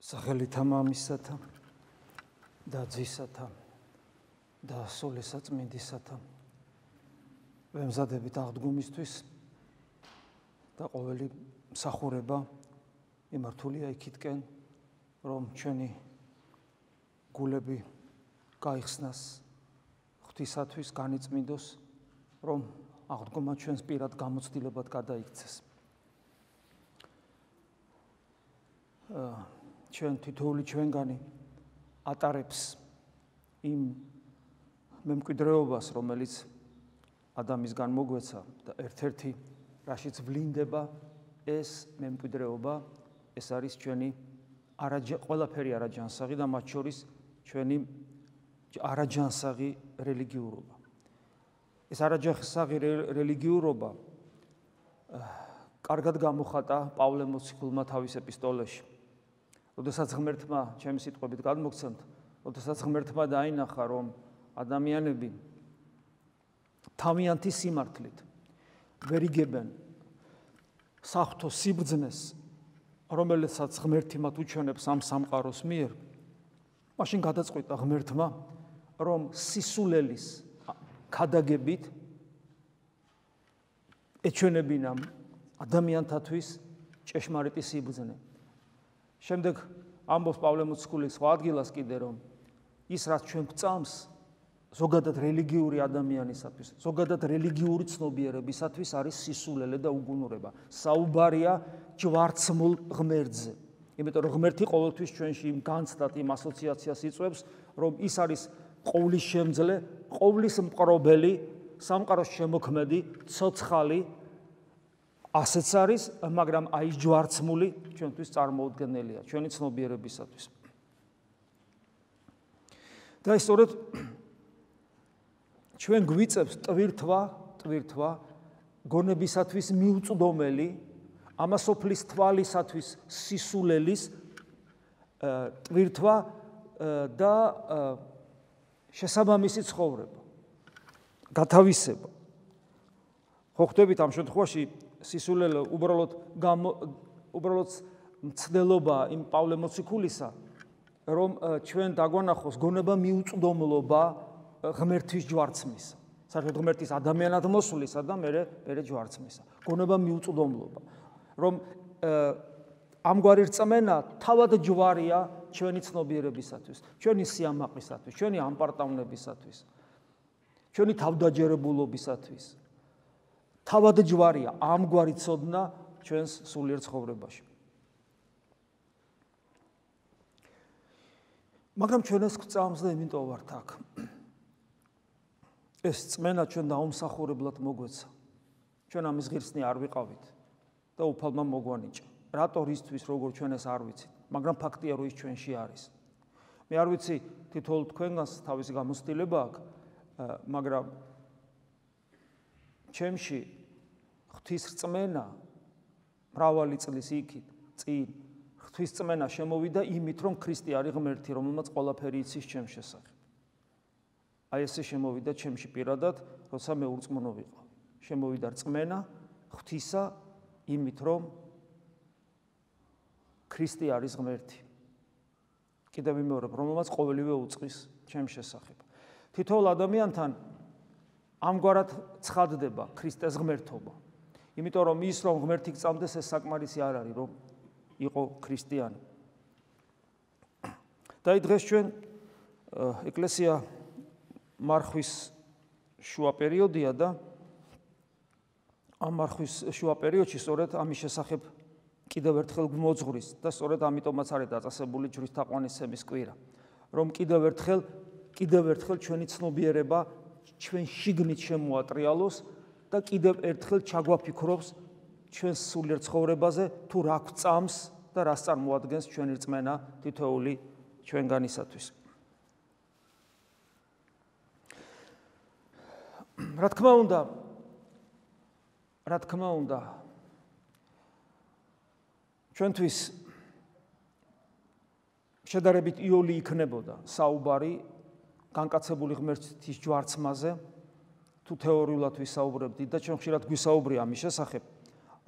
სახელითა მამისათა და ძისათა და სულისაწმინდისათა ვემზადებით აღდგომისთვის და ყოველი მსახურება იმართულია იქითკენ, რომ ჩვენი გულები გაიხსნას ღვთისათვის, განიწმინდოს, რომ აღდგომა ჩვენს პირად გამოცდილებად გადაიქცეს. ჩვენ თითოეული ჩვენგანი ატარებს იმ მემკვიდრეობას, რომელიც ადამისგან მოგვეცა და ერთ-ერთი რაშიც ვლინდება ეს მემკვიდრეობა, ეს არის ჩვენი ყველაფერი არაჯანსაღი და მათ შორის ჩვენი არაჯანსაღი რელიგიურობა. ეს არაჯანსაღი რელიგიურობა კარგად გამოხატა პავლე მოციქულმა თავის ეპისტოლეში. როდესაც ღმერთმა, ჩემი სიტყვებით გადმოგცემთ, როდესაც ღმერთმა დაინახა, რომ ადამიანები თავიანთი სიმართლით ვერ იგებენ საღვთო სიბრძნეს, რომელსაც ღმერთი მათ უჩვენებს ამ სამყაროს მიერ, მაშინ გადაწყვიტა ღმერთმა, რომ სისულელის ქადაგებით ეჩვენებინა ადამიანთათვის ჭეშმარიტი სიბრძნე. შემდეგ ამბობს პავლე მოციქული სხვა ადგილას კიდე, რომ ის რაც ჩვენ გვწამს ზოგადად რელიგიური ადამიანისათვის, ზოგადად რელიგიური ცნობიერებისათვის არის სისულელე და უგუნურება. საუბარია ჯვარცმულ ღმერთზე. იმიტომ რომ ღმერთი ყოველთვის ჩვენში იმ განცდად იმ ასოციაციას იწვევს, რომ ის არის ყოვლის შემძლე, ყოვლის მყრობელი, სამყაროს შემოქმედი, ცოცხალი, ასეც არის, მაგრამ აი ჯვარცმული ჩვენთვის წარმოუდგენელია, ჩვენი ცნობიერებისათვის. და სწორედ ჩვენ გვიწევს ტვირთვა გონებისათვის მიუწვდომელი, ამასოფლის თვალისათვის სისულელის ტვირთვა და შესაბამისი ცხოვრება, გათავისება. ხო ხვდებით ამ შემთხვევაში სისულელე უბრალოდ მცდელობა იმ პავლე მოციქულისა, რომ ჩვენ დაგვანახოს გონება მიუწვდომლობა ღმერთის ჯვარცმისა. საერთოდ ღმერთის ადამიანად მოსვლისა და მერე ჯვარცმისა. გონება მიუწვდომლობა. რომ ამგვარი რწმენა თავად ჯვარია ჩვენი ცნობიერებისათვის, ჩვენი სიამაყისათვის, ჩვენი ამპარტავნებისათვის, ჩვენი თავდაჯერებულობისათვის. თავად ჯვარია ამგვარი ცოდნა ჩვენს სულიერ ცხოვრებაში. მაგრამ ჩვენ ეს გვწამს და იმიტომ ვართ აქ. ეს რწმენა ჩვენ დაუმსახურებლად მოგვეცა. ჩვენ ამის ღირსნი არ ვიყავით და უფალმა მოგვანიჭა. რატო რისთვის როგორ ჩვენ ეს არ ვიცით, მაგრამ ფაქტია რომ ის ჩვენში არის. მე არ ვიცი თითოეულ თქვენგანს თავისი გამოცდილება აქვს, მაგრამ ჩემში ღვთის რწმენა მრავალი წლის იქით წინ ღვთის რწმენა შემოვიდა იმით, რომ ქრისტე არის ღმერთი, რომელმაც ყველაფერი იცის ჩემს შესახებ. აი ესე შემოვიდა ჩემში პირადად, როცა მე ურწმუნო ვიყავ. შემოვიდა რწმენა ღვთისა იმით, რომ ქრისტე არის ღმერთი. კიდევ ვიმეორებ, რომელმაც ყოველივე უწყის ჩემს შესახებ. თითოეულ ადამიანთან ამგვარად ცხადდება ქრისტეს ღმერთობა. იმიტომ რომ ის რომ ღმერთი გწამდეს, ეს საკმარისი არ არის, რომ იყო ქრისტიანი. და დღეს ჩვენ ეკლესია მარხვის შუა პერიოდია და ამ მარხვის შუა პერიოდში სწორედ ამის შესახებ კიდევ ერთხელ გვმოძღვრის და სწორედ ამიტომაც არის დაწესებული ჯვრის თაყვანისცემის კვირა, რომ კიდევ ერთხელ ჩვენი ცნობიერება ჩვენ შიგნით შემოატრიალოს და კიდევ ერთხელ ჩაგვაფიქრობს ჩვენს სულიერ ცხოვრებაზე, თუ რა გვწამს და რას წარმოადგენს ჩვენი რწმენა თითოეული ჩვენგანისათვის. რა თქმა უნდა, ჩვენთვის შედარებით იოლი იქნებოდა საუბარი განკაცებული ღმერთის ჯვარცმაზე, თუ თეორიულად ვისაუბრებდით და ჩვენ ხშირად გვისაუბრია ამის შესახებ,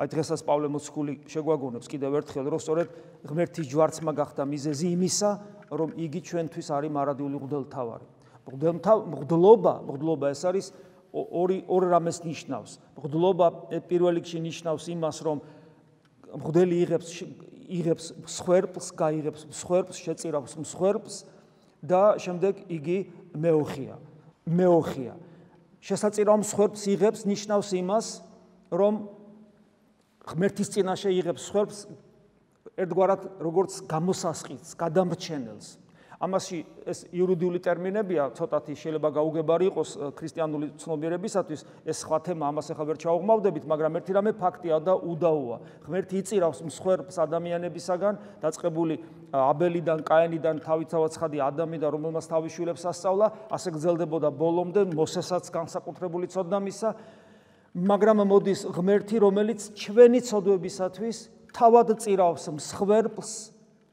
აი დღესაც პავლე მოციქული შეგვაგონებს კიდევ ერთხელ, რომ სწორედ ღმერთის ჯვარცმა გახდა მიზეზი იმისა, რომ იგი ჩვენთვის არის მარადიული მღვდელმთავარი. მღვდლობა ეს არის ორ რამეს ნიშნავს. მღვდლობა პირველ რიგში ნიშნავს იმას, რომ მღვდელი იღებს მსხვერპლს, გაიღებს მსხვერპლს, შეწირავს მსხვერპლს და შემდეგ იგი მეოხია. შესაწირავ მსხვერპლს იღებს ნიშნავს იმას, რომ ღმერთის წინაშე იღებს მსხვერპლს ერთგვარად როგორც გამოსასყიდს, გადამრჩენელს. ამაში ეს იურიდიული ტერმინებია, ცოტათი შეიძლება გაუგებარი იყოს ქრისტიანული ცნობიერებისათვის, ეს სხვა თემა, ამას ახლა ვერ ჩავღმავდებით, მაგრამ ერთი რამე ფაქტია და უდაოა. ღმერთი იწირავს მსხვერპლს ადამიანებისაგან, დაწყებული აბელიდან, კაენიდან, თავისთავად ცხადი ადამიდან, რომელმაც თავის შვილებს ასწავლა, ასე გრძელდებოდა ბოლომდე, მოსესაც განსაკუთრებული ცოდნა მისცა, მაგრამ მოდის ღმერთი, რომელიც ჩვენი ცოდვებისათვის თავად წირავს მსხვერპლს,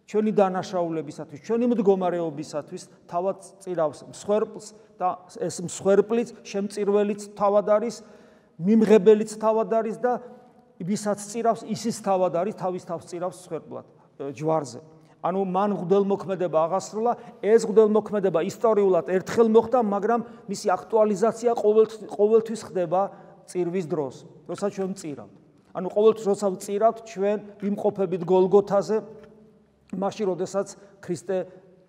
ჩვენი დანაშაულებისათვის, ჩვენი მდგომარეობისათვის თავად წირავს მსხვერპლს და ეს მსხვერპლიც, შემწირველიც თავად არის, მიმღებელიც თავად არის და ვისაც წირავს, ისიც თავად არის, თავის თავს წირავს მსხვერპლად ჯვარზე. ანუ მან მღვდელმოქმედება აღასრულა, ეს მღვდელმოქმედება ისტორიულად ერთხელ მოხდა, მაგრამ მისი აქტუალიზაცია ყოველთვის ხდება წირვის დროს, როცა ჩვენ ვწირავთ. ანუ ყოველთვის როცა ვწირავთ, ჩვენ ვიმყოფებით გოლგოთაზე, მაშინ, როდესაც ქრისტე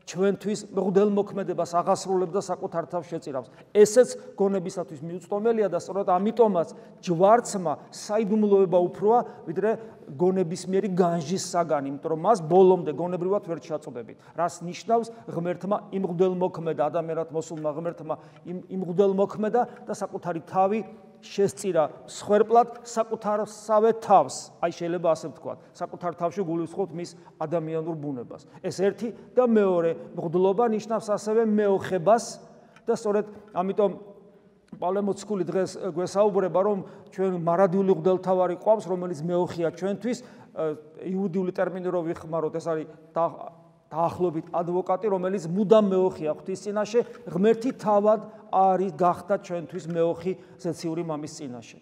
ჩვენთვის მღვდელმოქმედებას აღასრულებს და საკუთარ თავს შეწირავს. ესეც გონებისათვის მიუწვდომელია და სწორედ ამიტომაც ჯვარცმა საიდუმლოება უფროა, ვიდრე გონებისმიერი განჟის საგანი, იმიტომ რომ მას ბოლომდე გონებრივად ვერ ჩაწოდებით. რას ნიშნავს ღმერთმა იმ მღვდელმოქმედა, ადამიანად მოსულმა ღმერთმა იმ მღვდელმოქმედა და საკუთარი თავი შესწირა მსხვერპლად საკუთარსავე თავს. აი შეიძლება ასე ვთქვათ, საკუთარ თავში გულისხმობთ მის ადამიანურ ბუნებას. ეს ერთი და მეორე მღვდლობა ნიშნავს ასევე მეოხებას და სწორედ ამიტომ პავლე მოციქული დღეს გვესაუბრება, რომ ჩვენ მარადიული მღვდელმთავარი ყავს, რომელიც მეოხია ჩვენთვის, იუდიული ტერმინი რო ვიხმაროთ, ეს არის დაახლოებით ადვოკატი, რომელიც მუდამ მეოხია ღვთის წინაშე, ღმერთი თავად არის გახდა ჩვენთვის მეოხი ზეციური მამის წინაშე.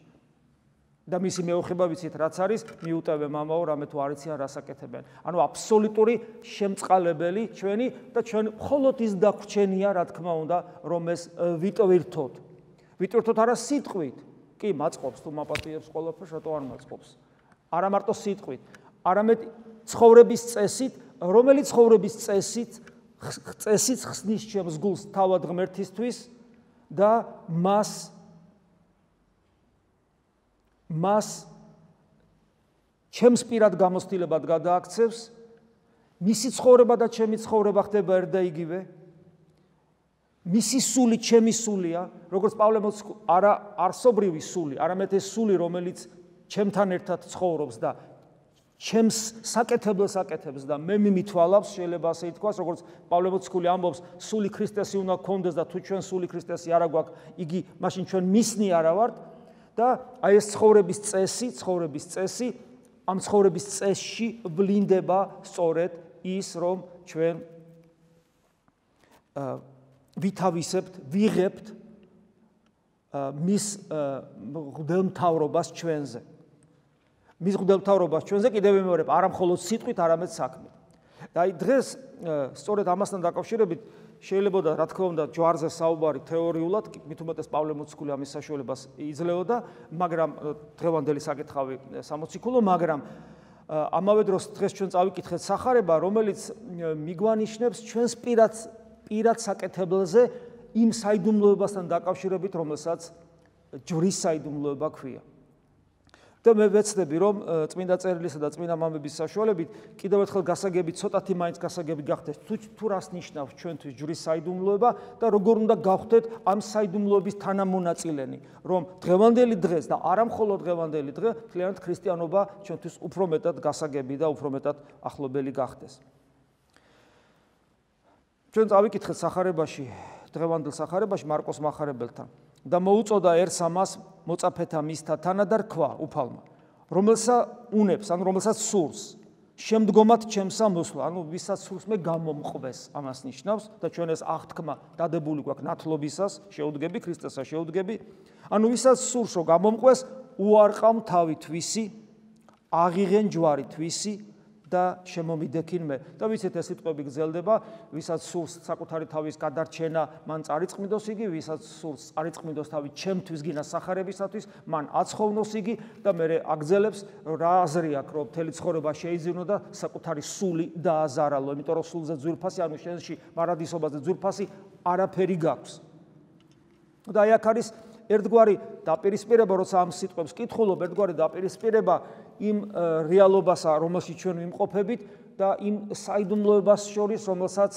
და მისი მეოხება ვიცით რაც არის, მიუტევე მამაო, რამე თუ არ იციან რას აკეთებენ. ანუ აბსოლუტური შემწყალებელი ჩვენი და ჩვენ მხოლოდ ის დაგვრჩენია, რა თქმა უნდა, რომ ეს ვიტვირთოთ. ვიტვირთოთ არა სიტყვით, კი მაწყობს თუ მაპატიებს ყველაფერს, რატო არ მაწყობს. არა მარტო სიტყვით, არამედ ცხოვრების წესით, რომელიც ცხოვრების წესით ხსნის ჩემს გულს თავად ღმერთისთვის და მას ჩემს პირად გამოცდილებად გადააქცევს, მისი ცხოვრება და ჩემი ცხოვრება ხდება ერთ და იგივე, მისი სული ჩემი სულია, როგორც პავლე მოციქული, არა არსობრივი სული, არამედ ეს სული, რომელიც ჩემთან ერთად ცხოვრობს და ჩემს საკეთებელს აკეთებს და მე მიმithვალავს, შეიძლება ასე ითქვას, როგორც პავლე მოციქული ამბობს, სული ქრისტესი უნდა გქონდეს და თუ ჩვენ სული ქრისტესი არა გვაქვს, იგი მაშინ ჩვენ მისნი არა ვართ და აი ეს ცხოვრების წესი, ამ ცხოვრების წესში ვლინდება სწორედ ის, რომ ჩვენ ვითავისებთ, ვიღებთ მის მღვდელმთავრობას ჩვენზე. მის მღვდელმთავრობას ჩვენზე კიდევ ვიმეორებ, არა მხოლოდ სიტყვით, არამედ საქმით. და აი დღეს სწორედ ამასთან დაკავშირებით შეიძლება რა თქმა უნდა ჯვარზე საუბარი თეორიულად, მით უმეტეს პავლე მოციქული ამის საშუალებას იძლეოდა, მაგრამ დღევანდელი საკითხავი სამოციქულო, მაგრამ ამავე დროს დღეს ჩვენ წავიკითხეთ სახარება, რომელიც მიგვანიშნებს ჩვენს პირად საკეთებელზე იმ საიდუმლოებასთან დაკავშირებით, რომელსაც ჯვრის საიდუმლოება ქვია. და მე ვეცდები, რომ წმინდა წერილისა და წმინდა მამების საშუალებით კიდევ ერთხელ გასაგები, ცოტათი მაინც გასაგები გახდეს, თუ რას ნიშნავს ჩვენთვის ჯვრის საიდუმლოება და როგორ უნდა გავხდეთ ამ საიდუმლოების თანამონაწილენი, რომ დღევანდელი დღეს და არა მხოლოდ დღევანდელი დღე, მთლიანად ქრისტიანობა ჩვენთვის უფრო მეტად გასაგები და უფრო მეტად ახლობელი გახდეს. ჩვენ წავიკითხეთ სახარებაში, დღევანდელ სახარებაში მარკოს მახარებელთან. და მოუწოდა ერთს ამას მოწაფეთა მისთა თანადარ ქვა უფალმა, რომელსაც სურს, შემდგომად ჩემსა მოსვლა, ანუ ვისაც სურს მე გამომყვეს, ამას ნიშნავს და ჩვენ ეს აღთქმა დადებული გვაქვს ნათლობისას, შეუდგები ქრისტესა შეუდგები, ანუ ვისაც სურს რომ გამომყვეს, უარყავ თავი თვისი აღიღენ ჯვარი თვისი და შემომიდექინ მე. და ვიცით ეს სიტყვები გრძელდება, ვისაც სურს საკუთარი თავის გადარჩენა, მან წარიწყმიდოს იგი, ვისაც სურს წარიწყმიდოს თავი ჩემთვის გინა სახარებისათვის, მან აცხოვნოს იგი და მე აგრძელებს რა აზრი აქვს, რომ მთელი ცხოვრება შეიძინო და საკუთარი სული დააზარალო, იმიტომ რომ სულზე ძვირფასი, ანუ შენში მარადისობაზე ძვირფასი არაფერი გაქვს. და აი აქ არის ერთგვარი დაპირისპირება, როცა ამ სიტყვებს კითხულობ, ერთგვარი დაპირისპირება იმ რეალობასა, რომელშიც ჩვენ ვიმყოფებით და იმ საიდუმლოებას შორის, რომელსაც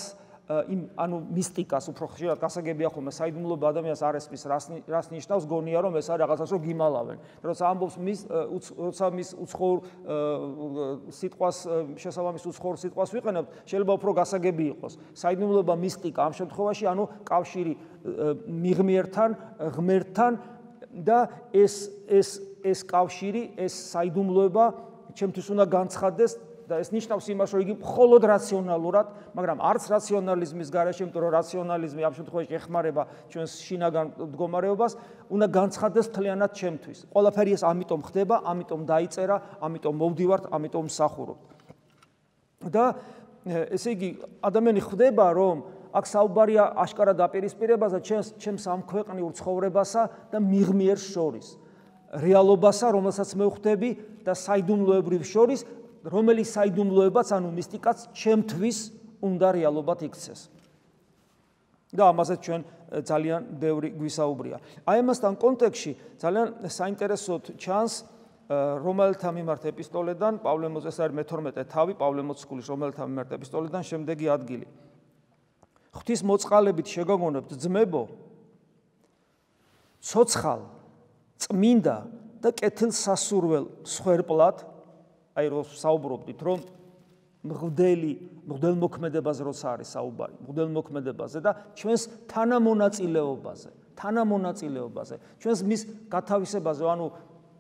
ანუ მისტიკას უფრო ხშირად გასაგებია ხოლმე საიდუმლოება ადამიანს არ ესმის, რას ნიშნავს, გონია რომ ეს არის რაღაცას რომ გიმალავენ. როცა ამბობს როცა მის უცხოურ სიტყვას შესაბამის უცხოურ სიტყვას ვიყენებთ, შეიძლება უფრო გასაგები იყოს. საიდუმლოება მისტიკა ამ შემთხვევაში, ანუ კავშირი მიღმიერთან, ღმერთთან და ეს კავშირი, ეს საიდუმლოება ჩემთვის უნდა განცხადდეს და ეს ნიშნავს იმას, რომ იგი მხოლოდ რაციონალურად, მაგრამ არც რაციონალიზმის გარეშე, იმიტომ რომ რაციონალიზმი ამ შემთხვევაში ეხმარება ჩვენს შინაგან მდგომარეობას, უნდა განცხადდეს მთლიანად ჩემთვის. ყველაფერი ეს ამიტომ ხდება, ამიტომ დაიწერა, ამიტომ მოვდივართ, ამიტომ მსახურობთ. და ესე იგი, ადამიანი ხვდება, რომ აქ საუბარია აშკარა დაპირისპირებაზე ჩემს ამ ქვეყნიურ ცხოვრებასა და მიღმიერს შორის. რეალობასა, რომელსაც მე ვხვდები და საიდუმლოებრივ შორის, რომელიც საიდუმლოებაც, ანუ მისტიკაც ჩემთვის უნდა რეალობად იქცეს. და ამაზე ჩვენ ძალიან ბევრი გვისაუბრია. აი ამასთან კონტექსტში ძალიან საინტერესოდ ჩანს რომელთა მიმართ ეპისტოლედან, პავლე მოწესს არის მე-12 თავი, პავლე მოციქულის რომელთა მიმართ ეპისტოლედან შემდეგი ადგილი. ღვთის მოწყალებით შეგაგონებთ ძმებო, ცოცხალ, წმინდა და კეთილსასურველ მსხვერპლად, აი რომ საუბრობდით, რომ მღვდელმოქმედებაზე როცა არის საუბარი, მღვდელმოქმედებაზე და ჩვენს თანამონაწილეობაზე, ჩვენს მის გათავისებაზე, ანუ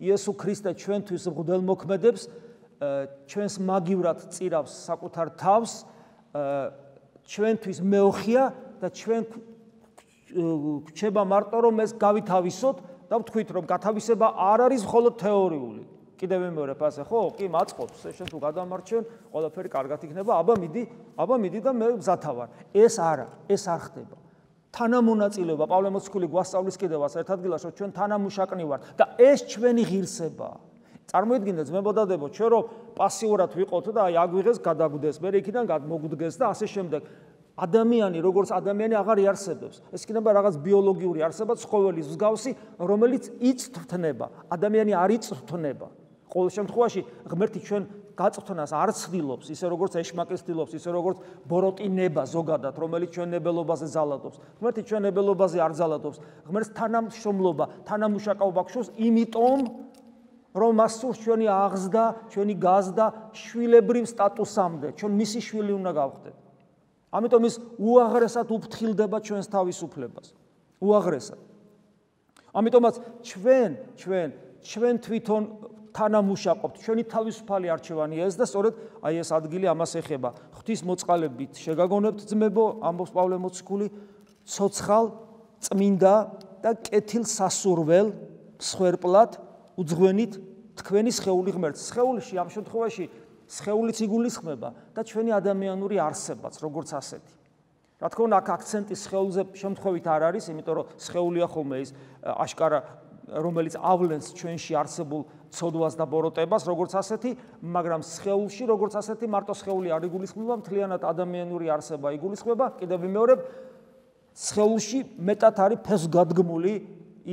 იესო ქრისტე ჩვენთვის მღვდელმოქმედებს, ჩვენს მაგივრად წირავს საკუთარ თავს, ჩვენთვის მეოხია და ჩვენ გვჩება მარტო რომ ეს გავითავისოთ და ვთქვით რომ გათავისება არ არის მხოლოდ თეორიული. კიდევ მეორე ფასე ხო? კი, მაწყობს, შენ თუ გადამარჩენ, ყველაფერი კარგად იქნება, აბა მიდი და მე მზათავარ. ეს არა, ეს არ ხდება. თანამონაწილეობა, პავლე მოციქული გვასწავლის კიდევაც ერთ ადგილას, რომ ჩვენ თანამუშაკნი ვართ და ეს ჩვენი ღირსებაა. წარმოიდგინეთ ძმებოდადებო, ჩვენ რომ პასიურად ვიყოთ და აი აგვიღეს, გადაგვდეს, მე იქიდან გადმოგვდგეს და ასე შემდეგ. ადამიანი, როგორც ადამიანი აღარ იარსებებს. ეს იქნება რაღაც ბიოლოგიური არსება, ცხოველის მსგავსი, რომელიც იწვრთნება. ადამიანი არ იწვრთნება. ყოველ შემთხვევაში ღმერთი ჩვენ გაწვრთნას არ ცდილობს, ისე როგორც ეშმაკი ცდილობს, ისე როგორც ბოროტინება ზოგადად, რომელიც ჩვენ ნებელობაზე ზალადობს. ღმერთი ჩვენ ნებელობაზე არ ზალადობს. ღმერთს თანამშრომლობა, თანამუშაკაობა გშურს, იმიტომ რომ მას სურს ჩვენი აღზრდა, ჩვენი გაზრდა შვილებრივ სტატუსამდე, ჩვენ მისი შვილი უნდა გავხდეთ. ამიტომ ის უაღრესად უფრთხილდება ჩვენს თავისუფლებას. უაღრესად. ამიტომაც ჩვენ თვითონ თანამუშაკობთ, ჩვენი თავისუფალი არჩევანია ეს და სწორედ აი ეს ადგილი ამას ეხება. ღვთის მოწყალებით შეგაგონებთ ძმებო, ამბობს პავლე მოციქული, ცოცხალ, წმინდა და კეთილსასურველ მსხვერპლად უძღვენით თქვენი სხეული ღმერთს. სხეულში ამ შემთხვევაში სხეულიც იგულისხმება და ჩვენი ადამიანური არსებაც, როგორც ასეთი. რა თქმა უნდა, აქ აქცენტი სხეულზე შემთხვევით არ არის, იმიტომ რომ სხეულია ხოლმე ის აშკარა, რომელიც ავლენს ჩვენში არსებულ ცოდვას და ბოროტებას, როგორც ასეთი, მაგრამ სხეულში, როგორც ასეთი, მარტო სხეული არ იგულისხმება, მთლიანად ადამიანური არსება იგულისხმება, კიდევ ვიმეორებ, სხეულში მეტად არის ფესვგადგმული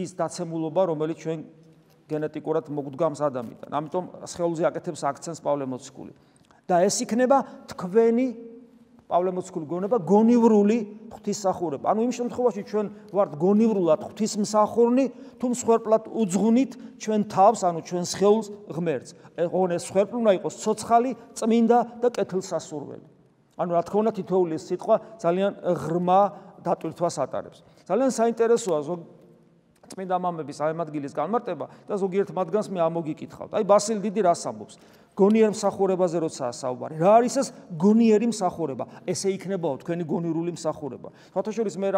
ის დაცემულობა, რომელიც ჩვენ გენეტიკურად მოგვდგამს ადამიანთან. ამიტომ სხეულზე აკეთებს აქცენტს პავლე მოციქული. და ეს იქნება თქვენი პავლე მოციქული გონება გონივრული ღვთისმსახურება. ანუ იმ შემთხვევაში ჩვენ ვართ გონივრულად ღვთისმსახურნი, თუ მსხვერპლად უძღვნით ჩვენ თავს, ანუ ჩვენ სხეულს ღმერთს. ეს მსხვერპლი უნდა იყოს ცოცხალი, წმინდა და კეთილსასურველი. ანუ რა თქმა უნდა თითოეული სიტყვა ძალიან ღრმა დატვირთვას ატარებს. ძალიან საინტერესოა წმინდა მამების ამ ადგილის განმარტება და ზოგიერთ მათგანს მე ამოგიკითხავთ. აი ბასილი დიდი რას ამბობს? გონიერ მსახურებაზე როდესაც საუბარი. რა არის ეს გონიერი მსახურება? ესე იქნებაო თქვენი გონიურული მსახურება. სხვათაშორის მე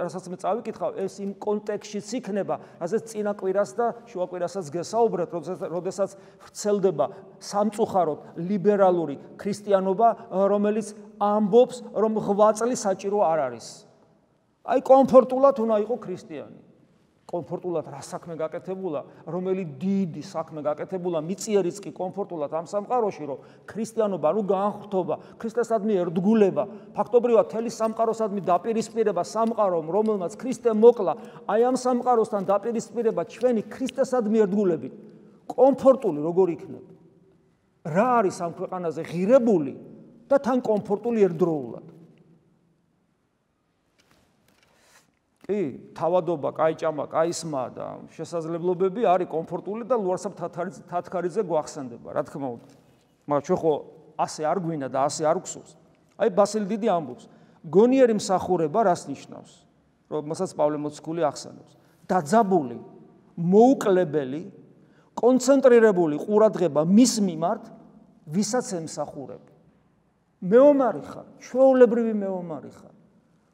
რასაც მე წავიკითხავ, ეს იმ კონტექსტშიც იქნება, რასაც წინა კვირას და შუა კვირასაც გესაუბრეთ, როდესაც ვრცელდება სამწუხაროდ ლიბერალური ქრისტიანობა, რომელიც ამბობს, რომ ღვაწლი საჭირო არ არის. აი კომფორტულად უნდა იყო ქრისტიანი. კომფორტულად რა საქმე გაკეთებულა, რომელი დიდი საქმე გაკეთებულა, მიწიერიც კი კომფორტულად ამ სამყაროში, რომ ქრისტიანობა ნუ განხრთობა, ქრისტესადმი ერთგულება, ფაქტობრივად მთელი სამყაროსადმი დაპირისპირება სამყარომ, რომელმაც ქრისტე მოკლა, აი ამ სამყაროსთან დაპირისპირება ჩვენი ქრისტესადმი ერთგულებით, კომფორტული როგორ იქნება? რა არის ამ ქვეყანაზე ღირებული და თან კომფორტული ერთდროულად? თავადობა, კაიჭამა, კაისმა და შესაძლებლობები არის კომფორტული და ლუარსაბ თათქარიძე გვახსენდება, რა თქმა უნდა. მაგრამ ჩვენ ხო ასე არ გვინდა და ასე არ გვსურს. აი ბასილი დიდი ამბობს, გონიერი მსახურება რას ნიშნავს? რომელსაც პავლე მოციქული ახსენებს. დაძაბული, მოუკლებელი, კონცენტრირებული ყურადღება მის მიმართ, ვისაც ემსახურებ. მეომარი ხარ, ჩვეულებრივი მეომარი ხარ.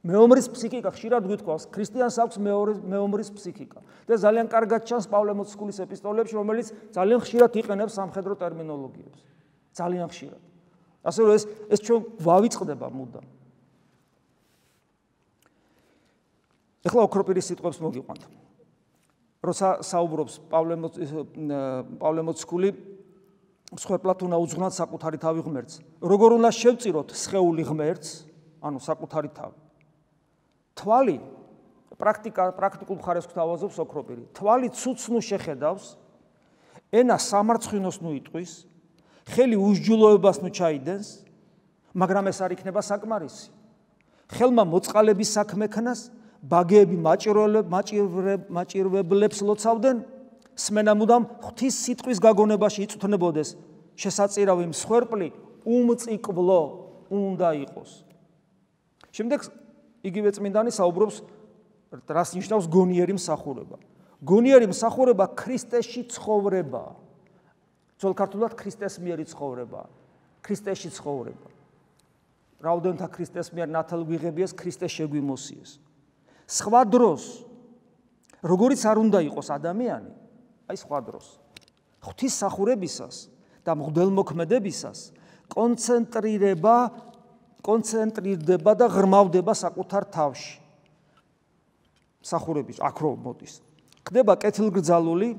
მეომრის ფსიქიკა ხშირად გვითხოვს, ქრისტიანს აქვს მეომრის ფსიქიკა. და ძალიან კარგად ჩანს პავლე მოციქულის ეპისტოლეებში, რომელიც ძალიან ხშირად იყენებს სამხედრო ტერმინოლოგიებს. ძალიან ხშირად. ასე რომ ეს ჩვენ ვავიწყდება მუდამ. ეხლა ოქროპირის სიტყვებს მოგიყვანთ. როცა საუბრობს პავლე მოციქული, მსხვერპლად უნდა უძღვნათ საკუთარი თავი ღმერთს. როგორ უნდა შევწიროთ სხეული ღმერთს, ანუ საკუთარი თავი. თვალი პრაქტიკულ მხარეს გვთავაზობს ოქროპირი. თვალი ცუცს ნუ შეხედავს, ენა სამარცხინოს ნუ იტყვის, ხელი უსჯულოებას ნუ ჩაიდენს, მაგრამ ეს არ იქნება საკმარისი. ხელმა მოწყალების საქმე ქნას, ბაგეები მაჭირვებლებს ლოცავდნენ, სმენა მუდამ ღვთის სიტყვის გაგონებაში იწვრთნებოდეს, შესაწირავი მსხვერპლი უმწიკლო უნდა იყოს. შემდეგ იგივე წმინდანი საუბრობს, რას ნიშნავს გონიერი მსახურება. გონიერი მსახურება ქრისტეში ცხოვრებაა. ძველ ქართულად ქრისტეს მიერი ცხოვრებაა. ქრისტეში ცხოვრება. რაოდენთა ქრისტეს მიერ ნათელ გვიღებიეს, ქრისტე შეგვიმოსიეს. სხვა დროს, როგორიც არ უნდა იყოს ადამიანი, აი სხვა დროს, ღვთის სახურებისას და მღვდელმოქმედებისას კონცენტრირდება და ღრმავდება საკუთარ თავში. სახურების აქ რო მოდის. ხდება კეთილგრძალული,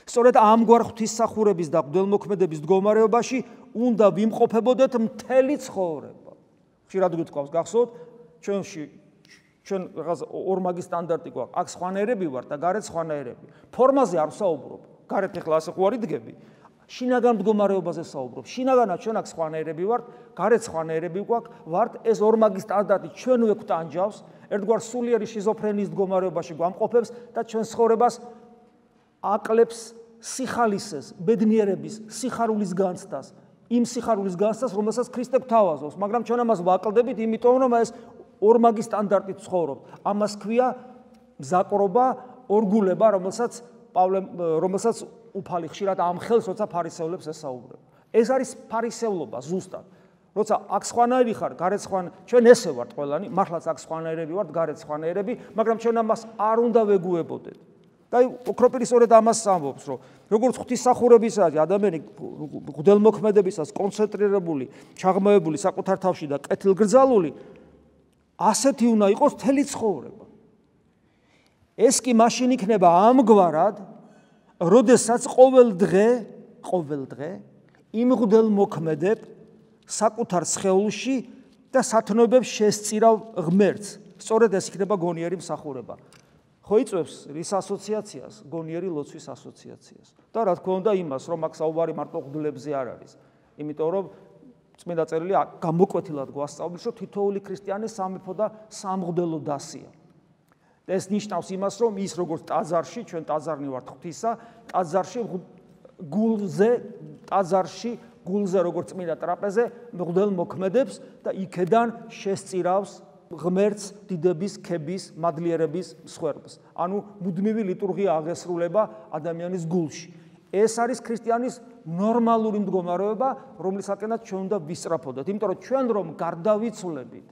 სწორედ ამგვარ ღვთისმსახურების და მღვდელმოქმედების მდგომარეობაში უნდა ვიმყოფებოდეთ მთელი ცხოვრება. ხშირად გითხოვს, გახსოვთ, ჩვენ რაღაც ორმაგი სტანდარტი გვაქვს, აქ სხვანაირები ვარ და გარეთ სხვანაირები. ფორმაზე არ ვსაუბრობ, გარეთ ახლა ასე ხო არ იდგები. შინაგან მდგომარეობაზე საუბრობ. შინაგანად ჩვენ აქ სხვანაირები ვართ, გარეთ სხვანაირები ვართ, ეს ორმაგი სტანდარტი ჩვენვე გვტანჯავს, ერთგვარ სულიერი შიზოფრენიის მდგომარეობაში გვამყოფებს და ჩვენ ცხოვრებას აკლებს სიხალისეს, ბედნიერების, სიხარულის განცდას, იმ სიხარულის განცდას, რომელსაც ქრისტე გვთავაზობს, მაგრამ ჩვენ ამას ვაკლდებით, იმიტომ რომ ეს ორმაგი სტანდარტით ცხოვრობთ. ამას ქვია მზაკრობა, ორგულება, რომელსაც უფალი ხშირად ამ ხელს, როცა ფარისევლებს ესაუბრება. ეს არის ფარისევლობა ზუსტად. როცა აქ სხვანაირი ხარ, გარეთ სხვანაირი, ჩვენ ესე ვართ ყველანი, მართლაც აქ სხვანაირები ვართ, გარეთ სხვანაირები, მაგრამ ჩვენ ამას არ უნდა ვეგუებოდეთ. და ოქროპირი სწორედ ამას ამბობს, რომ როგორც ღვთისმსახურებისა ადამიანი მღვდელმოქმედებისას კონცენტრირებული, ჩაღმავებული საკუთარ თავში და კეთილგრძალული, ასეთი უნდა იყოს მთელი ცხოვრება. ეს კი მაშინ იქნება ამგვარად, როდესაც ყოველ დღე იმ მღვდელმოქმედებ საკუთარ სხეულში და სათნოებებს შესწირავ ღმერთს. სწორედ ეს იქნება გონიერი მსახურება. ხო იწვევს რის ასოციაციას, გონიერი ლოცვის ასოციაციას. და რა თქმა უნდა იმას, რომ აქ საუბარი მარტო მღვდლებზე არ არის. იმიტომ რომ წმინდა წერილი გამოკვეთილად გვასწავლის, რომ თითოეული ქრისტიანი სამეფო და სამღვდელო დასია. ეს ნიშნავს იმას, რომ ის როგორც ტაძარში, ჩვენ ტაძარნი ვართ ღვთისა, გულზე როგორც წმინდა ტრაპეზე მღვდელმოქმედებს და იქედან შესწირავს ღმერთს, დიდების, ქების, მადლიერების მსხვერპლს. ანუ მუდმივი ლიტურგია აღესრულება ადამიანის გულში. ეს არის ქრისტიანის ნორმალური მდგომარეობა, რომლისაკენაც ჩვენ უნდა ვისწრაფოდეთ. იმიტომ რომ ჩვენ რომ გარდავიცვლებით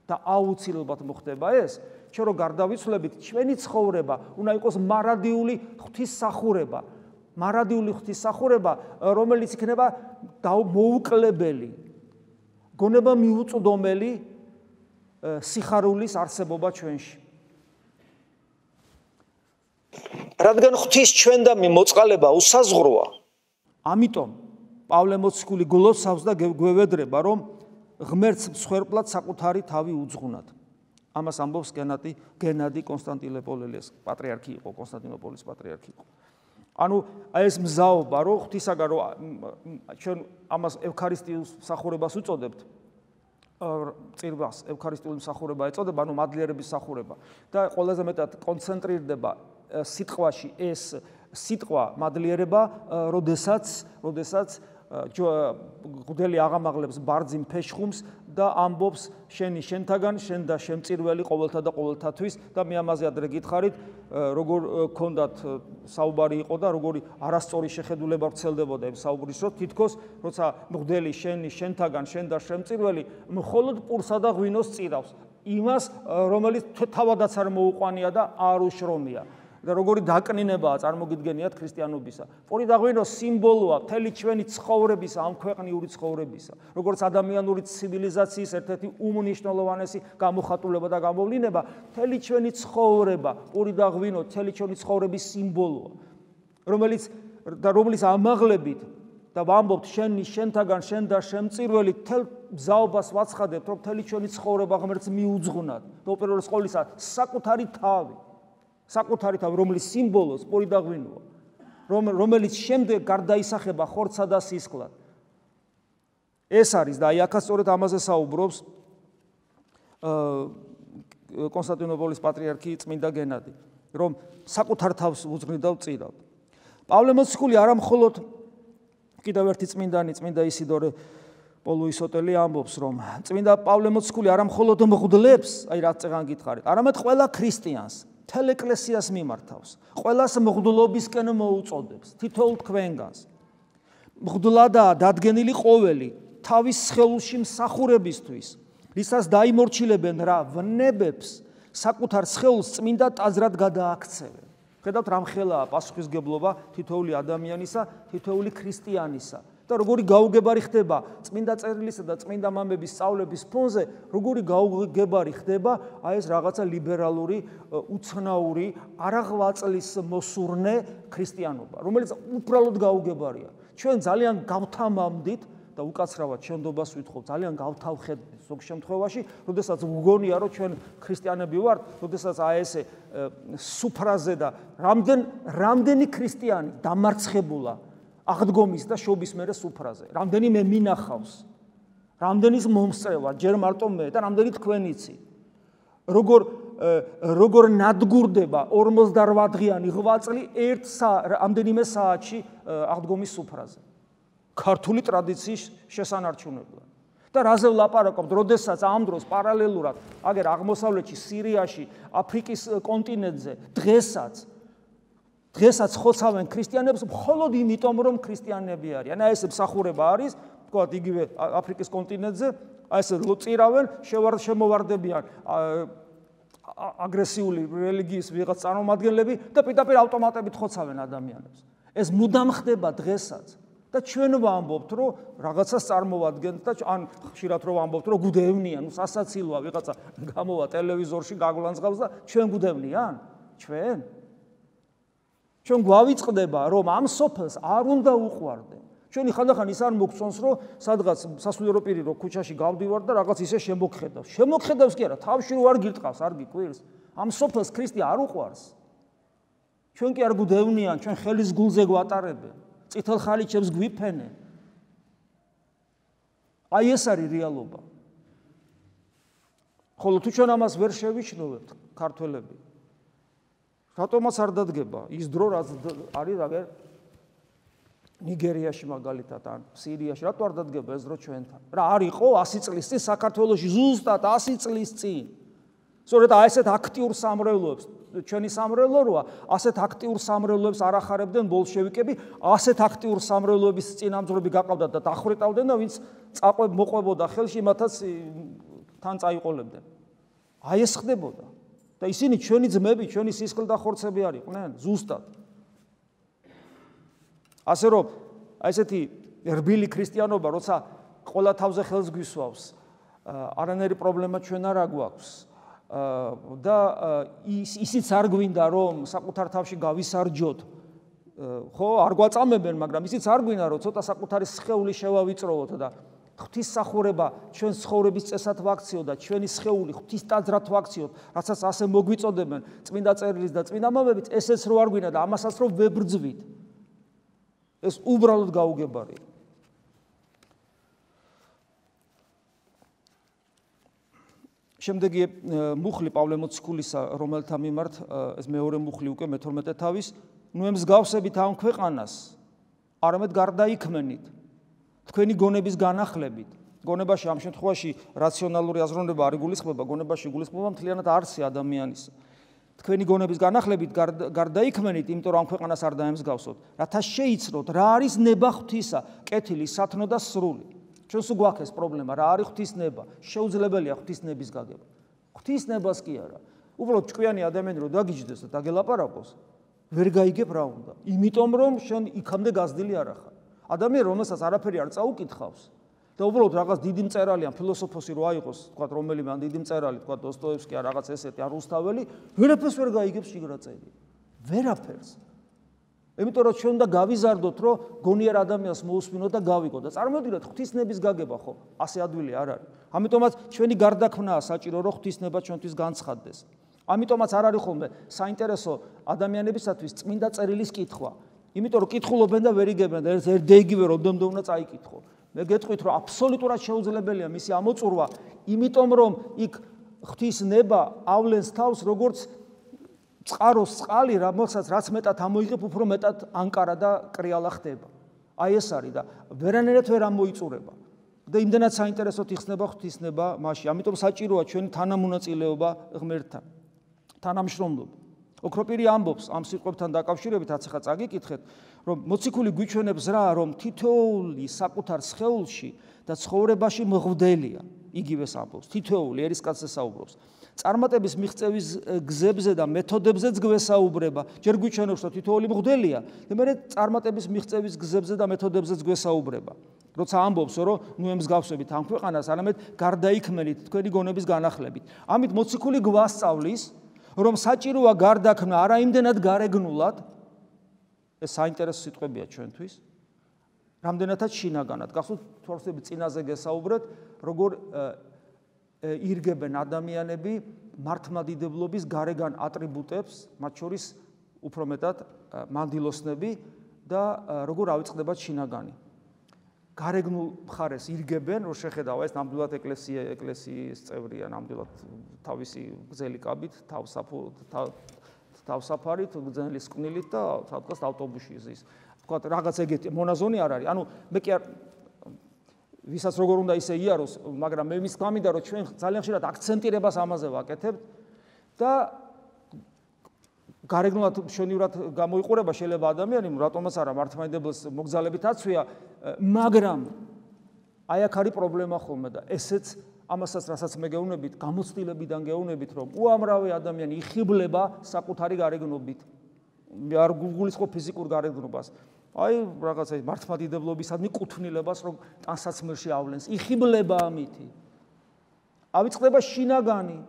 და აუცილებლად მოხდება ეს, ჩვენ რომ გარდავიცვლებით, ჩვენი ცხოვრება უნდა იყოს მარადიული ღვთისმსახურება. მარადიული ღვთისმსახურება, რომელიც იქნება მოუკლებელი, გონება მიუწვდომელი სიხარულის არსებობა ჩვენში. რადგან ღვთის ჩვენდამი მოწყალება უსაზღვროა, ამიტომ პავლე მოციქული გლოცავს და გვევედრება, რომ ღმერთს მსხვერპლად საკუთარი თავი უძღვნათ. ამას ამბობს გენადი კონსტანტინოპოლის პატრიარქი იყო, კონსტანტინოპოლის პატრიარქი იყო. ანუ ეს მზაობა, რომ ღვთისაგან რომ ჩვენ ამას ევქარისტიულ მსახურებას უწოდებთ, წირვას ევქარისტიული მსახურება ეწოდება, ანუ მადლიერების მსახურება და ყველაზე მეტად კონცენტრირდება სიტყვაში ეს სიტყვა მადლიერება, როდესაც გვდელი აღამაღლებს ბარძიმ ფეშხუმს და ამბობს შენი შენთაგან, შენ და შემწირველი ყოველთა და ყოველთათვის და მე ამაზე ადრე გითხარით, როგორ ქონდათ საუბარი იყო და როგორი არასწორი შეხედულება ვრცელდებოდა იმ საუბრის დროს, თითქოს როცა მღვდელი შენი შენთაგან, შენ და შემწირველი მხოლოდ პურსა და ღვინოს წირავს, იმას რომელიც თავადაც არ მოუყვანია და არ უშრომია. და როგორი დაკნინებაა წარმოგიდგენიათ ქრისტიანობისა. პური და ღვინო სიმბოლოა მთელი ჩვენი ცხოვრებისა, ამ ქვეყნიური ცხოვრებისა. როგორც ადამიანური ცივილიზაციის ერთ-ერთი უმნიშვნელოვანესი გამოხატულება და გამოვლინება, მთელი ჩვენი ცხოვრება, პური და ღვინო, მთელი ჩვენი ცხოვრების სიმბოლოა, რომლის ამაღლებით და ვამბობთ შენი შენთაგან, შენ და შემწირველი, მთელ მზაობას ვაცხადებთ, რომ მთელი ჩვენი ცხოვრება ღმერთს მიუძღვნათ. და უპირველეს ყოვლისა საკუთარი თავი. საკუთარი თავი, რომლის სიმბოლოს პური და ღვინოა, რომელიც შემდეგ გარდაისახება ხორცსა და სისხლად. ეს არის და აი აქაც სწორედ ამაზე საუბრობს კონსტანტინოპოლის პატრიარქი წმინდა გენადი, რომ საკუთარ თავს უძღვნიდა ვწირავ. პავლე მოციქული არა მხოლოდ კიდევ ერთი წმინდანი, წმინდა ისიდორე პოლუისოტელი ამბობს, რომ წმინდა პავლე მოციქული არა მხოლოდ მღვდლებს, აი რაც წეგან გითხარით, არამედ ყველა ქრისტიანს მთელ ეკლესიას მიმართავს, ყველას მღვდლობისკენ მოუწოდებს, თითოეულ თქვენგანს. მღვდლადაა დადგენილი ყოველი თავის სხეულში მსახურებისთვის, რისას დაიმორჩილებენ რა ვნებებს საკუთარ სხეულს წმინდა ტაძრად გადააქცევენ. ხედავთ რამხელაა პასუხისგებლობა თითოეული ადამიანისა, თითოეული ქრისტიანისა. და როგორი გაუგებარი ხდება წმინდა წერილისა და წმინდა მამების სწავლების ფონზე, როგორი გაუგებარი ხდება აი ეს რაღაცა ლიბერალური, უცნაური, არაღვაწლის მოსურნე ქრისტიანობა, რომელიც უბრალოდ გაუგებარია. ჩვენ ძალიან გავთამამდით და უკაცრავად შენდობას ვითხოვთ, ძალიან გავთავხედით ზოგ შემთხვევაში, როდესაც ვგონია, რომ ჩვენ ქრისტიანები ვართ, როდესაც აი ესე სუფრაზე და რამდენი ქრისტიანი დამარცხებულა აღდგომის და შობის მერე სუფრაზე. რამდენი მე მინახავს, რამდენის მომსწრევა, ჯერ მარტო მე და რამდენი თქვენიცი. როგორ ნადგურდება 48 დღიანი ღვაწლი რამდენიმე საათში აღდგომის სუფრაზე. ქართული ტრადიციის შესანარჩუნებლად. და რაზე ვლაპარაკობთ, როდესაც ამ დროს პარალელურად, აგერ აღმოსავლეთში, სირიაში, აფრიკის კონტინენტზე, დღესაც ხოცავენ ქრისტიანებს მხოლოდ იმიტომ, რომ ქრისტიანები არიან. აი ეს მსახურება არის, თქვათ იგივე აფრიკის კონტინენტზე, აი ეს წირავენ, შემოვარდებიან აგრესიული რელიგიის ვიღაც წარმომადგენლები და პირდაპირ ავტომატებით ხოცავენ ადამიანებს. ეს მუდამ ხდება დღესაც. და ჩვენ ვამბობთ, რომ რაღაცას წარმოვადგენთ და ან ხშირად რომ ვამბობთ, რომ გუდევნიან, სასაცილოა ვიღაცა გამოვა ტელევიზორში გაგლანძღავს და ჩვენ გუდევნიან? ჩვენ გვავიწყდება, რომ ამ სოფელს არ უნდა უყვარდე. ჩვენი ხანდახან ის არ მოგწონს, რომ სადღაც სასულიერო პირი რო ქუჩაში გავდივარ და რაღაც ისე შემოგხედავს. შემოგხედავს კი არა, თავში რო არ გირტყავს, არ გიკვირს. ამ სოფელს ქრისტე არ უყვარს. ჩვენ კი არ გუდევნიან, ჩვენ ხელის გულზე გვატარებენ. წითელ ხალიჩებს გვიფენენ. აი ეს არის რეალობა. ხოლო თუ ჩვენ ამას ვერ შევიჩნევებთ, ქართველები, რატომაც არ დადგება ის დრო, რაც არის აგერ ნიგერიაში მაგალითად ან სირიაში რატო არ დადგება ეს დრო ჩვენთან? რა არ იყო 100 წლის წინ საქართველოში ზუსტად 100 წლის წინ. სწორედ ასეთ აქტიურ სამრევლოებს ჩვენი სამრევლო როა, ასეთ აქტიურ სამრევლოებს არ ახარებდნენ ბოლშევიკები, ასეთ აქტიურ სამრევლოების წინამძღვრები გაყავდათ და დახვრეტავდნენ და ვინც მოყვებოდა ხელში, მათაც თან წაიყოლებდნენ. აი ეს ხდებოდა. და ისინი ჩვენი ძმები, ჩვენი სისხლდახორცები არ იყვნენ, ზუსტად. ასე რომ, ესეთი რბილი ქრისტიანობა, როცა ყველა თავზე ხელს გვისვავს, არანაირი პრობლემა ჩვენ არ აგვაქვს. და ისიც არ გვინდა რომ საკუთარ თავში გავისარჯოთ, ხო, არ გვაწამებენ, მაგრამ ისიც არ გვინდა რომ ცოტა საკუთარი სხეული შევავიწროვოთ და ღვთისმსახურება ჩვენ ცხოვრების წესად ვაქციოთ და ჩვენი სხეული ღვთისტაძრად ვაქციოთ, რაცაც ასე მოგვიწოდებენ წმინდა წერილის და წმინდა მამებით, ესეც რო არ გვინდა და ამასაც რო ვებრძვით. ეს უბრალოდ გაუგებარია. შემდეგი მუხლი პავლე მოციქულისა, რომელთა მიმართ ეს მეორე მუხლი უკვე მე-12 თავის, ნუ ემსგავსებით ამ ქვეყანას, არამედ გარდაიქმნით, თქვენი გონების განახლებით. გონებაში ამ შემთხვევაში რაციონალური აზროვნება არ იგულისხმება, გონებაში იგულისხმება მთლიანად არსი ადამიანის. თქვენი გონების განახლებით გარდაიქმნით, იმიტომ რომ ამ ქვეყანას არ დაემსგავსოთ, რათა შეიცნოთ, რა არის ნება ღვთისა, კეთილი, სათნო და სრული. ჩვენს გვაქვს ეს პრობლემა, რა არის ღვთისნება, შეუძლებელია ღვთისნების გაგება. ღვთისნებას კი არა. უბრალოდ ჭკვიანი ადამიანი რო დაგიჯდეს და დაგელაპარაკოს, ვერ გაიგებ რა უნდა. იმიტომ რომ შენ იქამდე გაზრდილი არ ახარ. ადამიანი რომელსაც არაფერი არ წაუკითხავს და უბრალოდ რაღაც დიდი მწერალი ან ფილოსოფოსი რო აიყოს, თქვა რომელიმე ან დიდი მწერალი, თქვა დოსტოევსკი ან რაღაც ესეთი ან რუსთაველი, ვერაფერს ვერ გაიგებს შიგრაწელი. ვერაფერს. იმიტომ რომ ჩვენ უნდა გავიზარდოთ, რომ გონიერ ადამიანს მოусმინოთ და გავიგოთ და წარმოვიდგინოთ ღვთისნების გაგება ხო, ასე ადვილი არ არის. ამიტომაც ჩვენი გარდაქმნაა საჭირო, რომ ღვთისნება ჩვენთვის განცხადდეს. ამიტომაც არ არის ხოლმე საინტერესო ადამიანებისათვის წმინდა წერილის კითხვა. იმიტომ რომ კითხულობენ და ვერ იგებენ და ერთ დეგივე როდომდე უნდა წაიკითხო. მე გეტყვით რომ აბსოლუტურად შეუძლებელია მისი ამოწურვა, იმიტომ რომ იქ ღვთისნება ავლენს თავს როგორც წყაროს წყალი, რაც მეტად ამოიღებ, უფრო მეტად ანკარა და კრიალა ხდება. აი ეს არის და ვერანაირად ვერ ამოიწურება. და იმდენად საინტერესოდ იხსნება ღვთისნება მასში. ამიტომ საჭიროა ჩვენი თანამონაწილეობა ღმერთთან. თანამშრომლობა. ოქროპირი ამბობს ამ სიტყვებთან დაკავშირებით, რაც ახლა წაგიკითხეთ, რომ მოციქული გვიჩვენებს რა, რომ თითოეული საკუთარ სხეულში და ცხოვრებაში მღვდელია. იგივეს ამბობს, თითოეული ერისკაცზე საუბრობს. წარმატების მიღწევის გზებზე და მეთოდებზეც გვესაუბრება. ჯერ გვიჩვენებს, რომ თითოეული მღვდელია, და მე წარმატების მიღწევის გზებზე და მეთოდებზეც გვესაუბრება. როცა ამბობს, რომ ნუ ემსგავსებით ამ ქვეყანას, არამედ გარდაიქმნით თქვენი გონების განახლებით. ამით მოციქული გვასწავლის, რომ საჭიროა გარდაქმნა არა იმდენად გარეგნულად, ეს საინტერესო სიტყვებია ჩვენთვის, რამდენადაც შინაგანად. გახსოვთ, თორსები წინაზე გესაუბრეთ, როგორ ირგებენ ადამიანები მართლმადიდებლობის გარეგან ატრიბუტებს, მათ შორის უფრო მეტად მანდილოსნები და როგორ ავიწყდებათ შინაგანი. გარეგნულ მხარეს ირგებენ, რომ შეხედავ ეს ნამდვილად ეკლესიის წევრია, ნამდვილად თავისი გზელი კაბით, თავსაფარით, გზელის კვნილით და სადღაც ავტობუსში ზის. თქვათ რაღაც ეგეთი მონაზონი არ არის. ანუ მე კი არ ვისაც როგორ უნდა ისე იაროს, მაგრამ მე მის გამინდა რომ ჩვენ ძალიან ხშირად აქცენტირებას ამაზე ვაკეთებთ და გარეგნულად მშვენივრად გამოიყურება შეიძლება ადამიანი, რატომაც არა მართლმადიდებლს მოგზალებით აცვია, მაგრამ აი აქ არის პრობლემა ხოლმე და ესეც ამასაც რასაც მე გეუბნებით, გამოცდილებიდან გეუბნებით, რომ უამრავი ადამიანი იხიბლება საკუთარი გარეგნობით. არ გულისხმობ ფიზიკურ გარეგნობას. აი რაღაცა მართლმადიდებლობისადმი კუთვნილებას რომ ტანსაცმელში ავლენს, იხიბლება ამითი. ავიწყდება შინაგანი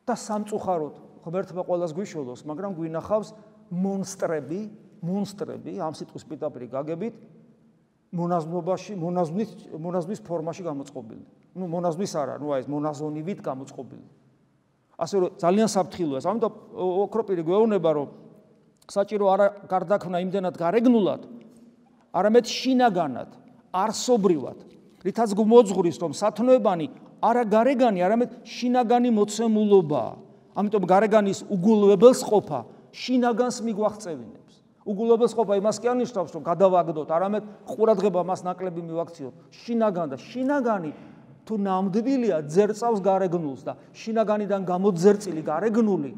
და სამწუხაროდ ღმერთმა ყველას გვიშველოს, მაგრამ გვინახავს მონსტრები, ამ სიტყვის პირდაპირ გაგებით, მონაზვნობაში, მონაზვნის ფორმაში გამოწყობილი. ნუ მონაზვნის არა, ნუ აი ეს მონაზონივით გამოწყობილი. ასე რომ ძალიან საფრთხილოა. ამიტომ ოქროპირი გვეუბნება, რომ საჭირო არა გარდაქმნა იმდენად გარეგნულად, არამედ შინაგანად, არსობრივად, რითაც გვმოძღვრის, რომ სათნოებანი არა გარეგანი, არამედ შინაგანი მოცემულობაა. ამიტომ გარეგანის უგულებელს ყოფა შინაგანს მიგვაღწევინებს. უგულებელს ყოფა იმას კი არნიშნავს, რომ გადავაგდოთ, არამედ ყურადღება მას ნაკლები მივაქციოთ. შინაგან და შინაგანი თუ ნამდვილია ძერწავს გარეგნულს და შინაგანიდან გამოძერწილი გარეგნული,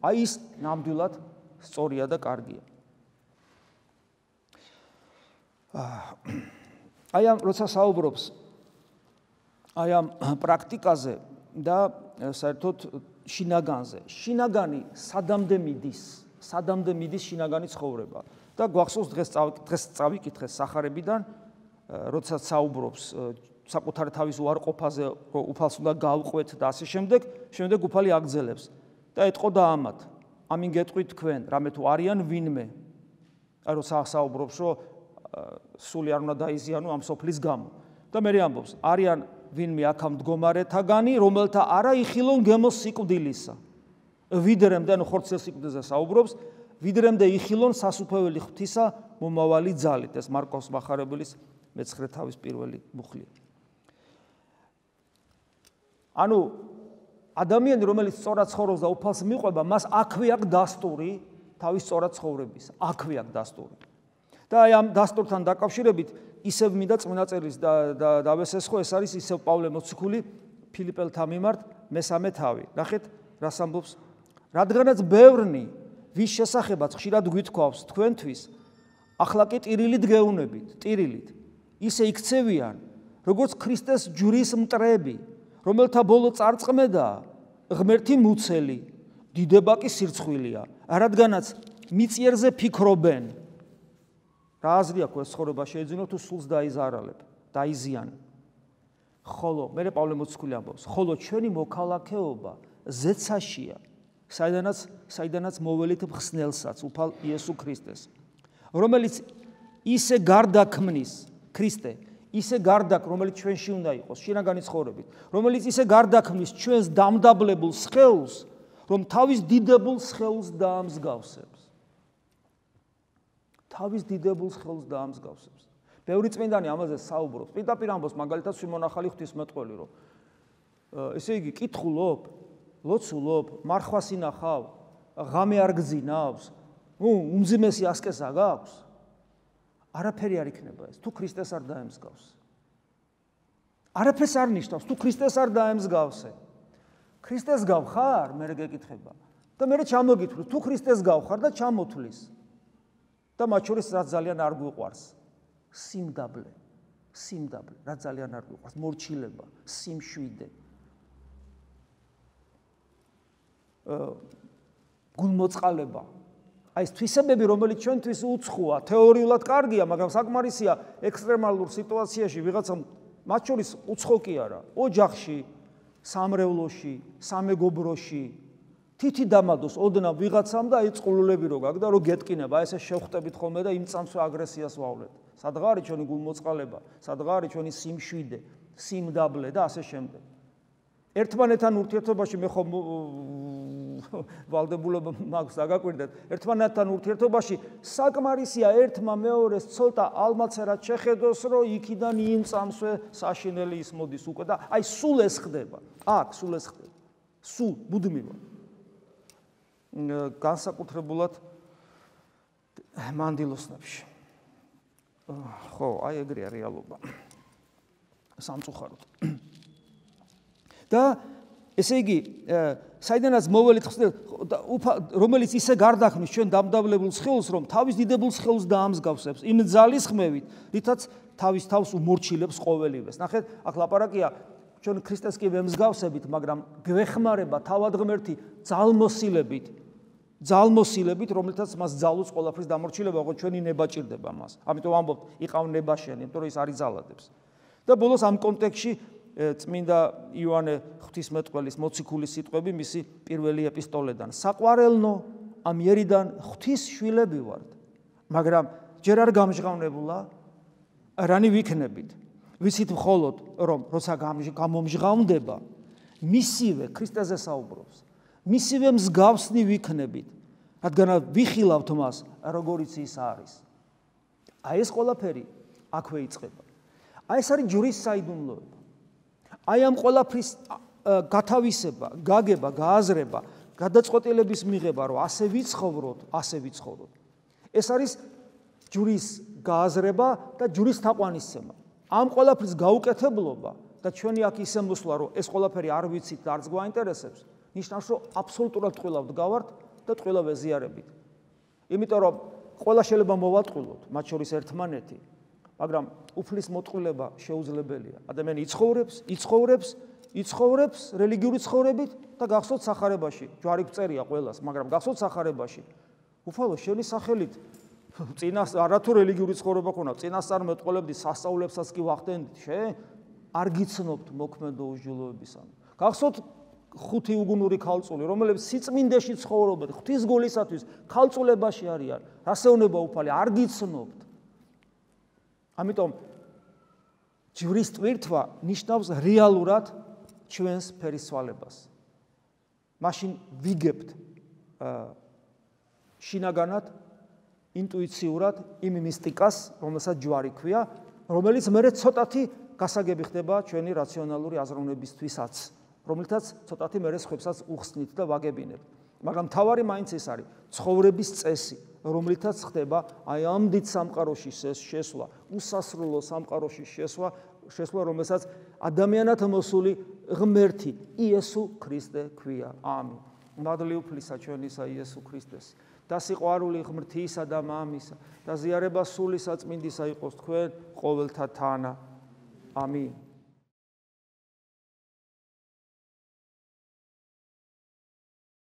აი ის ნამდვილად სწორია და კარგია. აი ამ როცა საუბრობს აი ამ პრაქტიკაზე და საერთოდ შინაგანზე. შინაგანი სადამდე მიდის შინაგანი ცხოვრება. და გვახსოვს დღეს წავიკითხე სახარებიდან, როცა საუბრობს საკუთარი თავის უარყოფაზე, რომ უფალს უნდა გავყვეთ და ასე შემდეგ უფალი აგძელებს. და ეტყოდა ამათ, ამინ გეტყვით თქვენ, რამე თუ არიან ვინმე. აი როცა საუბრობს, რომ სული არ უნდა დაიზიანო ამ სოფლის გამო. და მე ამბობს, არიან ვინმე აქ მდგომარეთაგანი, რომელთა არა იხილონ გემოს სიკვდილისა. ვიდრემდე, ანუ ხორცელ სიკვდილზე საუბრობს, ვიდრემდე იხილონ სასუფეველი ღვთისა მომავალი ძალით. ეს მარკოს მახარებლის მე-9 თავის პირველი მუხლია. ანუ ადამიანი, რომელიც სწორად ცხოვრობს და უფალს მიყვება, მას აქვე აქვს დასტური თავის სწორად ცხოვრების. აქვე აქვს დასტური. და აი ამ დასტურთან დაკავშირებით ისევ მინდა წმინდა წერილს დავესესხო, ეს არის ისევ პავლე მოციქული ფილიპელთა მიმართ მესამე თავი. ნახეთ, რას ამბობს? რადგანაც ბევრნი ვის შესახებაც ხშირად გვითქვავს თქვენთვის, ახლა კი ტირილით გეუნებით, ტირილით. ისე იქცევიან, როგორც ქრისტეს ჯვრის მტრები, რომელთა ბოლო წარწყმედაა ღმერთი მუცელი, დიდება კი სირცხვილია, რადგანაც მიწიერზე ფიქრობენ. რა აზრი აქვს ეს ცხოვრება შეიძლება თუ სულს დაიზიანო. ხოლო მე პავლე მოციქული ამბობს, ხოლო ჩვენი მოქალაქეობა ზეცაშია, საიდანაც მოველით მხსნელსაც, უფალ იესო ქრისტეს, რომელიც ისე გარდაქმნის ქრისტე, ისე გარდაკ, რომელიც ჩვენში უნდა იყოს, შინაგანი ცხოვრებით, რომელიც ისე გარდაქმნის ჩვენს დამდაბლებულ სხეულს, რომ თავის დიდებულ სხეულს დაამსგავსებს. თავის დიდებულ სხეულს დაამსგავსებს. ბევრი წმინდანი ამაზე საუბრობს. პირდაპირ ამბობს, მაგალითად, სიმონახალი ღვთისმეტყველი, რომ ესე იგი, კითხულობ, ლოცულობ, მარხვას ინახავ, ღამე არ გძინავს, უმძიმესი ასკეზა გაქვს? არაფერი არ იქნება ეს, თუ ქრისტეს არ დაემსგავს. არაფერს არ ნიშნავს, თუ ქრისტეს არ დაემსგავსე. ქრისტეს გავხარ, მე გეკითხება. და მე ჩამოგითვლი, თუ ქრისტეს გავხარ და ჩამოთვლის. და მათ შორის რაც ძალიან არ გვიყვარს, სიმდაბლე, რაც ძალიან არ გვიყვარს, მორჩილება, სიმშვიდე. გულმოწყალება. აი ეს თვისებები, რომელიც ჩვენთვის უცხოა, თეორიულად კარგია, მაგრამ საკმარისია ექსტრემალურ სიტუაციაში ვიღაცამ მათ შორის უცხო კი არა, ოჯახში, სამრევლოში, სამეგობროში თითი დამადოს ოდნავ ვიღაცამ და აი წყლულები რო გაქვს და რო გეტკინება, აი ესე შევხვდებით ხოლმე და იმ წამსვე აგრესიას ვავლეთ. სადღა არის ჩვენი გულმოწყალება, სადღა არის ჩვენი სიმშვიდე, სიმდაბლე და ასე შემდეგ. ერთმანეთთან ურთიერთობაში მე ხომ ვალდებულობა მაქვს დაგაკვირდეთ. ერთმანეთთან ურთიერთობაში საკმარისია ერთმა მეორეს ცოტა ალმაცერად შეხედოს, რომ იქიდან იმ წამსვე საშინელი ის მოდის უკვე და აი სულ ეს ხდება. აქ სულ ეს ხდება. სულ მუდმივად. განსაკუთრებულად მანდილოსნებში. ხო, აი ეგრეა რეალობა. სამწუხაროდ. და ესე იგი, საიდანაც მოველით რომელიც ისე გარდაქმნის ჩვენ დამდაბლებულ სხეულს, რომ თავის დიდებულ სხეულს დაამსგავსებს იმ ძალის ხმევით, რითაც თავის თავს უმორჩილებს ყოველივეს. ნახეთ, აქ ლაპარაკია ჩვენ ქრისტეს კი ვემსგავსებით, მაგრამ გვეხმარება თავად ღმერთი ძალმოსილებით, რომელთაც მას ძალუց ყველაფრის დამორჩილება, ოღონდ ჩვენი ნება ჭირდება მას. ამიტომ ამბობთ, იყავ ნება შენი, იმიტომ რომ ის არის ძალადებს. და ბოლოს ამ კონტექსტში წმინდა იოანე ღვთისმეტყველის მოციქულის სიტყვები მისი პირველი ეპისტოლედან. საყვარელნო, ამ იერიდან ღვთის შვილები ვართ, მაგრამ ჯერ არ გამჟღავნებულა, რანი ვიქნებით. ვიცით მხოლოდ, რომ როცა გამომჟღავნდება, მისივე ქრისტეზე საუბრობს, მისივე მსგავსნი ვიქნებით, რადგან ვიხილავთ მას, როგორიც ის არის. აი ეს ყველაფერი აქვე იწყება. აი ეს არის ჯვრის საიდუმლოება. აი ამ ყველაფრის გათავისება, გაგება, გააზრება, გადაწყვეტილების მიღება, რომ ასე ვიცხოვროთ. ეს არის ჯვრის გააზრება და ჯვრის თაყვანისცემა. ამ ყველაფრის გაუკეთებლობა და ჩვენი აქ ისე მოსვლა, რომ ეს ყველაფერი არ ვიცით და არც გვაინტერესებს, ნიშნავს, რომ აბსოლუტურად ტყუილად გავართ და ტყუილა ვეზიარებით. იმიტომ რომ ყველა შეიძლება მოვატყუილოთ, მათ შორის ერთმანეთი, მაგრამ უფლის მოტყუილება შეუძლებელია. ადამიანი იცხოვრებს რელიგიური ცხოვრებით და გახსოვთ სახარებაში. ჯვარი გწერია ყველას, მაგრამ გახსოვთ სახარებაში. უფალო შენი სახელით წინას არათუ რელიგიური ცხოვრება ქონა, წინასწარ მეტყოლებდი სასწაულებსაც კი ვახდენდით, არ გიცნობთ მოქმედო უსჯულოებისამ. გახსოვთ 5 უგუნური ქალწული, რომლებიც სიწმინდეში ცხოვრობენ, ღვთის გულისათვის ქალწულებაში არიან. რასეუნება უფალი, არ გიცნობთ. ამიტომ ჯვრის ტვირთვა ნიშნავს რეალურად ჩვენს ფერისცვალებას. მაშინ ვიგებთ შინაგანად, ინტუიციურად იმ მისტიკას, რომელსაც ჯვარი ქვია, რომელიც მერე ცოტათი გასაგები ხდება ჩვენი რაციონალური აზროვნებისთვისაც, რომლითაც ცოტათი მერე სხვებსაც უხსნით და ვაგებინებთ. მაგრამ თავარი მაინც ეს არის ცხოვრების წესი, რომლითაც ხდება აი ამ დიდ სამყაროში შესვლა, უსასრულო სამყაროში შესვლა, რომელსაც ადამიანად მოსული ღმერთი იესო ქრისტე ქვია. ამინ. მადლი უფლისა ჩვენისა იესო ქრისტეს და სიყვარული ღმრთისა და მამისა და ზიარება სული საწმინდისა იყოს თქვენ ყოველთა თანა. ამინ.